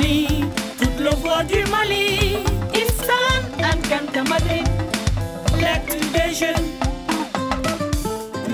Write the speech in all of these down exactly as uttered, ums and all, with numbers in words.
Toute le voix du Mali, issan ălkăntămădre. L'actu des jeunes.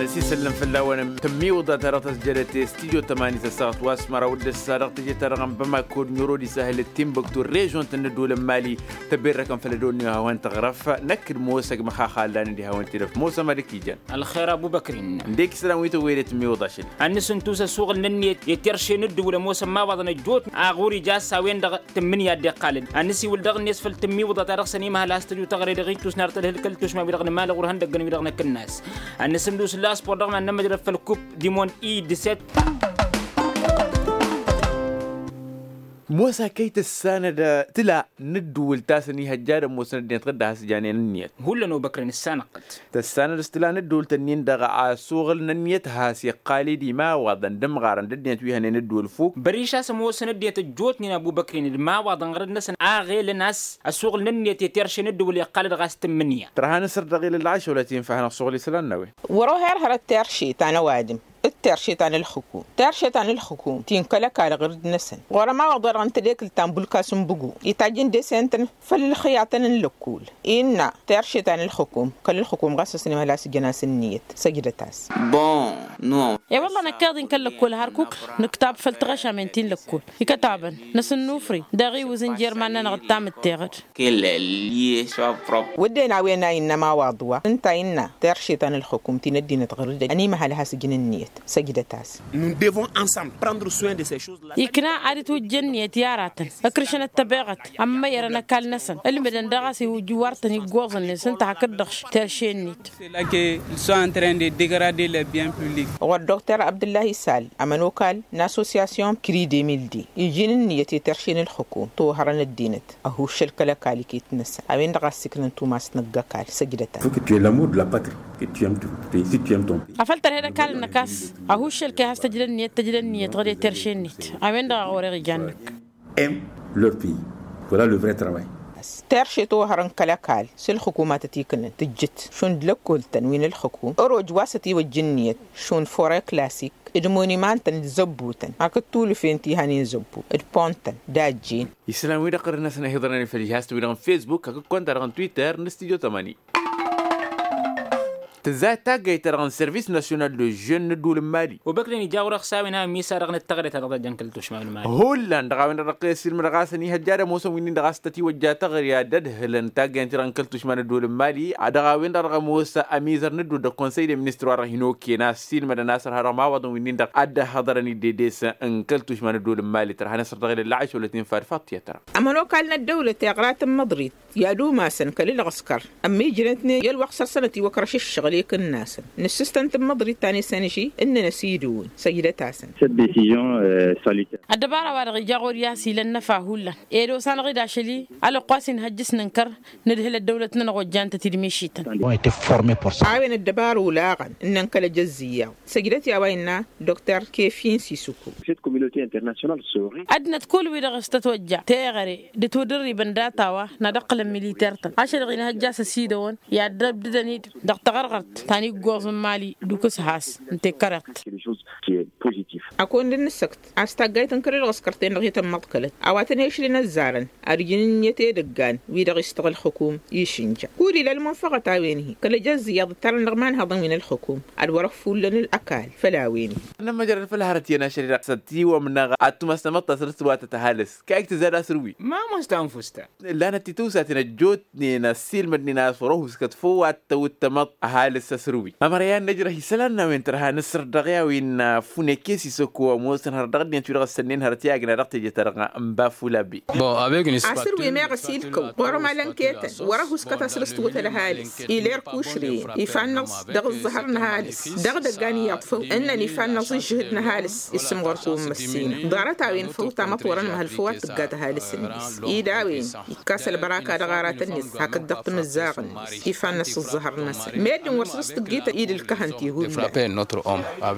Năsisăllăm făll-a-wen tǝmmiwǝḍa ta dăɣ-tăzjădăt i-studyo tămani tăssaɣăt wa s-măraw d-ǝssa dăɣ-teje-ta-dăɣ n-bamako d-niro d-isahăl d-timbuktu režon-tăn n-ădduul n-mali. Tăberrăkăn făll-ăddoon n-ihawăn tăɣrăf năkk d-mosăg măxaxa ăllan d-ihawăn tidăf mosăm ad-ăkijăn. Ălxer abubăkrin. Ǝndek isălan wi tăwwăyăd i-tǝmmiwǝḍa ašăl. Ad-nǝsǝntus ăsuɣǝl n-ǝnniyăt i-terše n-ǝddǝwǝl ămoosăn imawaḍăn ăjjootnen a ɣur-ija a-s a-wen-dăɣ tǝmmǝnǝya a dd-iqqalăn. Ad-nǝsiwǝl daɣ-net făll-tǝmmiwǝḍa ta dăɣ-săn imhăl a-s tăju taɣre dăɣ-ittus n-arăt ălhǝlkăl tušma-wi-dăɣ n-imalăɣ wăr hăn dăggăn wi-dăɣ n-akǝnnas. Ad-nǝsǝndus ǝlla a-s sport dăɣ-iman n-ămăjrăd făll-kup dimond i-dǝset. Mosa kăy-tǝssanăd tǝla n-ǝddǝwǝl ta s-ănihăjja ad-ămoosăn ăddinăt ɣǝdda has-janen ǝnniyăt. Hullan obăkrăn ǝssanăɣ-t. Tăssanăd s-tǝla n-ăddăwăl tănnin-dăɣ asuɣǝl n-ănniyăt has-iqqal-dd imawaḍăn d-ǝmɣarăn d-ăddinăt wi hănen ăddăwăl fuk. Băriš a-s ămoosăn ăddinăt ăjjootnen abubăkrin d-imawaḍăn ɣărăd-năsăn a ɣelăn a-s ăsuɣǝl n-ănniyăt i-terše n-ăddăwăl iqqal-dd ɣas tǝmmǝnǝya. Tărha n-asăr dăɣ-ilăl lăɣašăwălăt infa hanăɣ-suɣǝl isălan n-a-wen. Wăr-ohăr hărăt terše ta n-ăwadǝm d-terše ta n-ǝlxǝkum terše ta n-ǝlxǝkum ti n-kăl-ăkall ɣǝrǝd-năsăn ɣur-ămawaḍ-wa-dăɣ n-tadekǝlt ta n-bulkas n-bǝgu. Itajj ǝnde-s i-ǝntăn făll-ǝlxǝyatăn n-lăkkul innă terše ta n-ǝlxǝkum kăl-ǝlxǝkum ɣas ăsnimhăl a-s ǝjăn-as ǝnniyăt. Săjdăt-as. Bon. Nu. E-wălla năkk iḍin kăl-lăkkul hărkuk nǝktab făll-tiɣăšamen ti n-lăkkul ikătabăn năsǝnnufri daɣ iwǝzǝn jer-iman-nănăɣ d-tamǝtteɣăd. Wădden a-wen a innă ămawaḍ wa ǝnta innă terše ta n-ǝlxǝkum ti n-ăddinăt ɣur-dd ănimăhăl has-ǝjǝn ǝnniyăt. Săjdăt-as. Nous devons ensemble prendre soin de ces choses-là. Ikna ad-dd-twǝjj ǝnniyăt i-aratăn ǝkrǝšăn ăttăbeɣăt ămmăyărăn ăkall-năsăn ǝlmǝdăn daɣ a-s iwǝjj iwartăn iggoẓ-net ǝnta hakd-dăɣ terše-net. Ceux-là que ils sont en train de dégrader les biens publics. Ɣur-dd dr abdǝllahi sal ămănokal n-association cri deux mille deux ijen ǝnniyăt i-terše n-ǝlxǝkum tohărăn ăddinăt ăhuššăl kăl-ăkall iket-năsăn a-wen-dăɣ a ăssiiknăn tumast n-ăgg-ăkall. Săjdăt-as. Faut que tu aies l'amour de la patrie, que tu aimes ton pays, si tu aimes ton pays. Afăl tărhed ăkall-năk a-s ăhuššăl kăy-has-tăjla ǝnniyăt tăjla ǝnniyăt ɣǝd i-terše-net. A-wen-dăɣ a ɣur-e-ɣ ijan-năk. Aime leur pays. Voilà le vrai travail. Terše tohărăn kăl-ăkall s-ǝlxǝkum a tăt-ikǝnnăn tǝjjǝt šund lăkkol-tăn wi n-ǝlxǝkum ăroj wa s-ătiwăjja ǝnniyăt šund fore klasik d-monimantăn d-zăbbutăn hakd tulǝfen ti hanen zăbbu d-pon-tăn d-ajjen. Isălan-wi-dăɣ ɣărăn-năsăn ihiḍărăn i-făll-ihast-wi-dăɣ n-fesbuk hakd konta-dăɣ n-twitter n-studyo tămani. Tǝzzayăt taggayt-ta-dăɣ n-servis nasyonal de žen n-ădduul n-mali. Obăknen ija ɣur-e-ɣ s-a-wen a ămmiisar dăɣ-năt taɣre ta dăɣ-tăjjăn kăl-tušma n-mali. Hullan dăɣ-a-wen-dăɣ dăɣ-kăy-ăssiilmădăɣ a-s ănihăjja ad-ămoosăn wi-nin-dăɣ a-s tătiwăjja taɣre ad-ădhǝlăn taggayt-ta-dăɣ n-kăl-tušma n-ădduul n-mali. Dăɣ-a-wen-dăɣ dăɣ-ămoos amizăr n-ădduul dăɣ-konsăy de ministru wa dăɣ-hin-okăyăn a-s ăssiilmădăn a-s ărha dăɣ-imawaḍăn wi-nin-dăɣ ad-dd-ăhhăḍărăn iddedes n-kăl-tušma n-ădduul n-mali tărha n-asăr dăɣ-ilăl lăɣaš wălăt infa d-faṭṭiyăt. Ămănokal n-ăddăwlăt iɣra tǝmmăḍrit i-ad-umasăn kăl-ǝlɣǝskăr ămmi ǝjrănătnen i-ălwăqq săr-săn ătiwăkrăš ǝššăɣǝl i-kǝnnasăn. Nǝssǝstăn tǝmmăḍrit ta n-esănži ǝnnăn ăsidǝwǝn. Săjdăt-asăn. Cette décision salutaire. Ăddăbara-wa-dăɣ ija ɣur-i a-s ila ănnăfa hullan ed osanăɣ-dd ašăl-i ălwăqq wa s-inhăjj s-nǝnkăr nǝdhǝl ăddăwlăt-nănăɣ wa ǝjjan-tăt-dd mišităn. A-wen ăddăbara olaɣăn ǝnnăn kăl-ejăzz iyyăḍ. Săjdăt i-a-wa innă dr kefin sisuku. Cette communauté internationale saurait. Ăddinăt kull-wi-dăɣ s-tătwăjja teɣăre d-ătwădărribăn data-wa n-ad-ǝqqǝlăn militer-tăn ašăl-dăɣ inhăjja a-s ăsidăwăn i-ad-ăbdǝdăn-dd dăɣ-taɣărɣărt ta n-iggoẓ n-mali d-ukǝshas n-tekkăreḍt. Quelque chose qui est positif. Ad-kăwăn-dd-nǝssăkt a-s taggayt n-kăl-ălɣǝskăr-ten-dăɣ i-tămmăḍkălăt a-wa tăn-ešlǝn ăzzarăn ad-ǝjǝn ǝnniyăt edăggan wi-dăɣ istăɣ ǝlxǝkum išǝnja. Kull ila ălmunfăɣăt a-wen-hi kăl-ejăzz iyyăḍ ǝttarăn dăɣ-imanhăḍăn wi n-ălxǝkum ad-wăr-ăffullăn ăkall făll-a-wen-hi. Nămmăjrăd făll-hărăt iyyăn ašăl-i-dăɣ s-ătiwămnăɣ ad-tumas tamăḍt ta săr-s wa tăt-ăhalǝs kayăk tǝzzad asǝrwi. Ma mos tanfust ta. Lanăt titǝwsaten ăjjootnen ăssiilmădnen a-s wăr-ăhuskăt făw ad-tăwǝt tamăḍt ăhalǝs asǝrwi ămăra i-ad-nǝjrăh isălan n-a-wen tărha n-asăr dăɣ-i a-wen. Funeke sisăko ămoosăn hărăt dăɣ-ăddinăt wi-dăɣ ăssănnen hărăt i-agna dăɣ-teje-ta-dăɣ n-bafulabe. Asǝrwi meɣ ăsilkăw ɣur-ămalăn ketăn wăr-ăhuskăt a săr-s tǝwǝt ălhalǝs. Iler kušrǝyăn ifa-năɣ dăɣ-ǝẓẓăhăr n-ăhalǝs dăɣ-idăggan iyyăḍ făw ǝnnăn ifa-năɣ s-ǝžžǝhǝd n-ăhalǝs. Isǝm ɣur-kăwăn măssinăɣ ḍarăt-a-wen făw tamăḍt wăr-ănmăhăl făw ad-tǝggat ăhalǝs-net. Ed a-wen ikkas ălbăraka dăɣ-aratăn-net hakd dăɣ-timǝzzaɣ-net ifa-năs ǝẓẓăhăr-năsăn meddǝn wăr săr-s tǝggităn idǝlkăhăn ti hullan.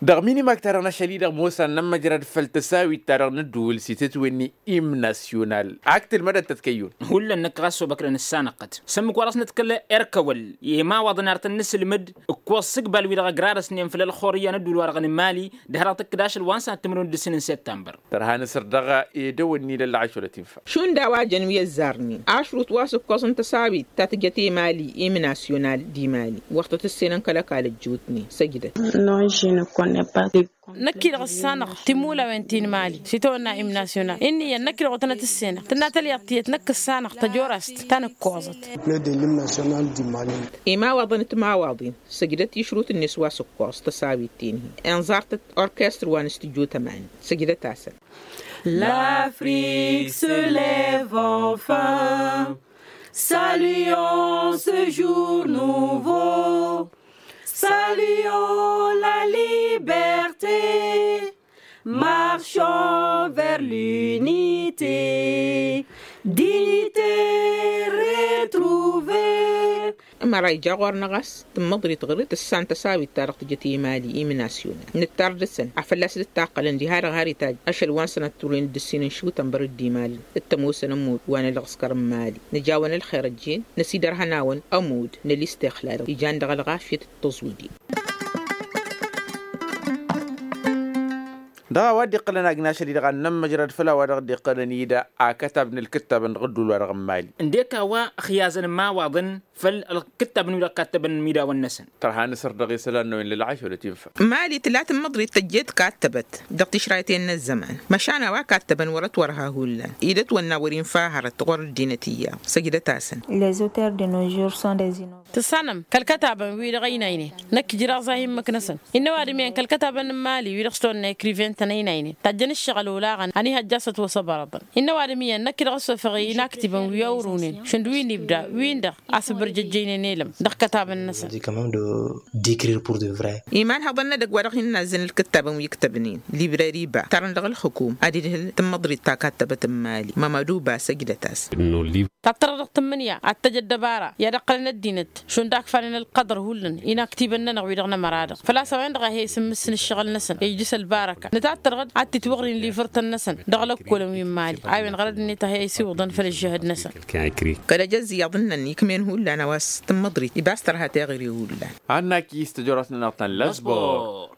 Dăɣ-minimag-ta-dăɣ n-ašăl-i-dăɣ mosa n-ămmăjrăd făll-tăsawit-ta-dăɣ n-ǝddǝwǝl s-itǝtwǝnni imnasyonal. Ak tǝlmădăt tăt-kăyyun. Hullan năkk ɣas obăkdăn ǝssanăɣ-tăt sămmǝk wa dăɣ-s nǝdkăl erkăwăl i-imawaḍăn ar tăn-nǝsǝlmǝd ǝkkoẓ sǝgbal-wi-dăɣ ăgrarăsnen făll-ălxor iyyăn ădduul-wa-dăɣ n-imali. Dăh-dăɣ tǝkkǝd ašăl wa n-sănat timǝrwen d-ǝssin n-septămbăr. Tărha nǝsǝr dăɣ-edăwăn n-ilăl lăɣaš wăla tinfa. Šund a-wa jăn wi ăzzarnen ašrut wa s-ǝkkoẓ n-tăsawit ta tǝjăt i-mali i-imnasyonal d-imali wăr tăt-ǝssenăn kăl-ăkall ăjjootnen săjdăt. Năkk-i-dăɣ ǝssanăɣ timulawen ti n-imali s-itawănna imnasyonal inn'-iyyăn năkk-i-dăɣ wăr tănăt-ǝssenăɣ tǝnna tălyaḍt tiyyăt năkk ǝssanăɣ tăjorast ta n-ǝkkoẓăt. Imawaḍăn d-timawaḍin săjdăt i-ašrut-net wa s-ǝkkoẓ tăsawit ti n-hi-inẓartăt orkestr wa n-astujjo tămani. Săjdăt-asăn. L'afrique se lève enfin. Saluons ce jour nouveau. Saluons la liberté. Marchons vers l'unité. Dignité retrouvée. Ămăra ija ɣur-năɣ a-s tǝmmăḍrit ɣǝr-dd tǝssan tăsawit-ta-dăɣ tǝjăt i-mali imnasyonal nǝttar dăɣ-săn a fălla-s dd-taqqălăn diha-dăɣ har itajj ašăl wa n-sănat turwen d-ǝssin n-išutăn bărăd d-imalăn d-tămoosăn ămudd wa n-ălɣǝskăr n-imali. Nǝjawăn ălxer ăjjeen năsidărhăn-awăn ămudd n-ălistixlal ijan dăɣ-ălɣafyăt d-tăẓwǝdin. Dăɣ-a-wa dd-iqqălăn agnašăl-i-dăɣ ad-nămmăjrăd făll-a-wa dăɣ-dd-iqqălăn-i d-akătab n-ǝlkǝttabăn dăɣ-ădduul-wa-dăɣ n-imali. Ǝndek a-wa ăxyazăn imawaḍăn făll-ǝlkǝttabăn wi-dăɣ kattăbăn imidawăn-năsăn. Tărha nǝsăr dăɣ-isălan-năwăn lălɣaš wăla tinfa. Mali tǝla tǝmmăḍrit tăjjeet kattăbăt dăɣ-tišrayten n-ăzzăman măšan a-wa kattăbăn wăr-ătwărha hullan. Ed ătwănna wăr-infa hărăt ɣur-ăddinăt iyyăḍ. Săjdăt-asăn. Les auteurs de nos jours sont des inno. Tǝssanăm kăl-kătabăn-wi-dăɣ ăynaynen năkk ǝjraɣ za hin-măk-năsăn. Innă ăwadǝm iyyăn kăl-kătabăn n-imali wi-dăɣ s-tăwănna ekriven-tăn ăynaynen tajjăn ǝššăɣǝl olaɣăn ănihăjja a-s ătwăsăbărăḍăn. Innă ăwadǝm iyyăn năkk-i-dăɣ ăssofăɣ i-inaktibăn wi ăwrunen šund wi n-ibda wi-dăɣ a-s ǝbărjăjjăynen elăm dăɣ-kătabăn-năsăn. Imanhăḍăn n-edăgg wa dăɣ-hin-nazzăn ǝlkǝttabăn wi ǝktăbnen librări ba tarăn dăɣ-ǝlxǝkum ad-idhǝl tǝmmăḍrit ta kattăbăt n-imali mămădu ba săjdăt-as. Tattărăɣ dăɣ-tǝmmǝnǝya ad-tăj ăddăbara i-ad-ăqqălăn ăddinăt šund akfanen ălqăḍăr hullan inaktibăn-nănăɣ wi-dăɣ n-ămăra-dăɣ făl-a-s a-wen-dăɣ a he-isǝmmǝsǝn ǝššăɣǝl-năsăn ijjǝs ălbarăka nǝtattărăɣ-dd ad-titwăɣrin livrtăn-năsăn dăɣ-lăkkolăn wi n-imali a-wen ɣărăd-net a he-isiwǝḍăn făll-ǝžžăhăd-năsăn. Kăl-ăj ăzziyăḍ ǝnnăn ikmen hullan a-wa s-tǝmmăḍrit ibas tărha teɣăre hullan. Ad-nak-is tăjorăt-nănăɣ ta n-lăsbor.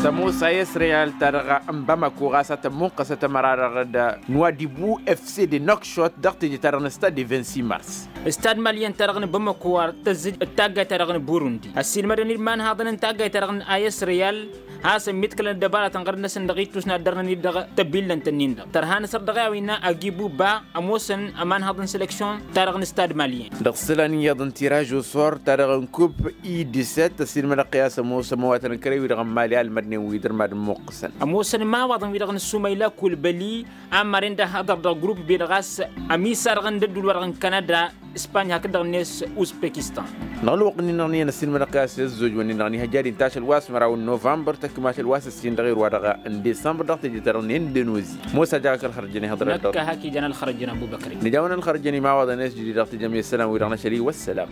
Tămoos a s-reyal ta-dăɣ n-bamako ɣas a tămmunqăsăt ămăra-dăɣ d-nuwadibu fc de nokšot dăɣ-teje ta-dăɣ n-stad de vingt-six mars. Stad malyen ta-dăɣ n-bamako ar tăzzǝj d-taggayt ta-dăɣ n-burundi ăssiilmădăn-dd imanhaḍăn n-taggayt ta-dăɣ n-a s-reyal. Hasăn-miḍkălăn ăddăbaratăn ɣărăd-năsăn dăɣ-ittus n-ad-dărnăn-dd dăɣ-tăbillănt-nin-dăɣ tărha n-asăr dăɣ-i a-wa innă agibu ba ămoosăn ămanhăḍ n-seleksyon ta-dăɣ n-stad malyen. Dăɣ-isălan iyyăḍ n-tiraž osor ta-dăɣ n-kub i-disset ăssiilmădăɣ-t i-a-s ămoos ămăwatăn n-kăre-wi-dăɣ n-mali almădnen wi dăr-mad-ǝmmuqqǝsăn. Ămoosăn imawaḍăn-wi-dăɣ n-sumăyla kulbăli a maren d-ahăḍăr dăɣ-grupp-be-dăɣ a-s ămisa-dăɣ n-dăddul-wa-dăɣ n-kanada. Ispany hakd-dăɣ-net uzbekistan. Dăɣ-ălwăqq-nin-dăɣ n-iyyăn ăssiilmădăɣ-t i-a-s ăzzojwăn-in-dăɣ n-ihăjja ad-inta ašăl wa s-măraw n-novămbăr tăkk mašăl wa s-ǝssin dăɣ-irwa-dăɣ n-desămbăr dăɣ-teje-ta-dăɣ n-indonozi. Mosa jaɣ-ak ălxărăjăn ihăḍrăt-dăɣ. Năkk a hak ijan ălxărăjăn abu băkri. Nǝjawăn ălxărăjăn imawaḍăn i-s jădid dăɣ-tejăm i-isălan-wi-dăɣ n-ašăl-i wăssălam.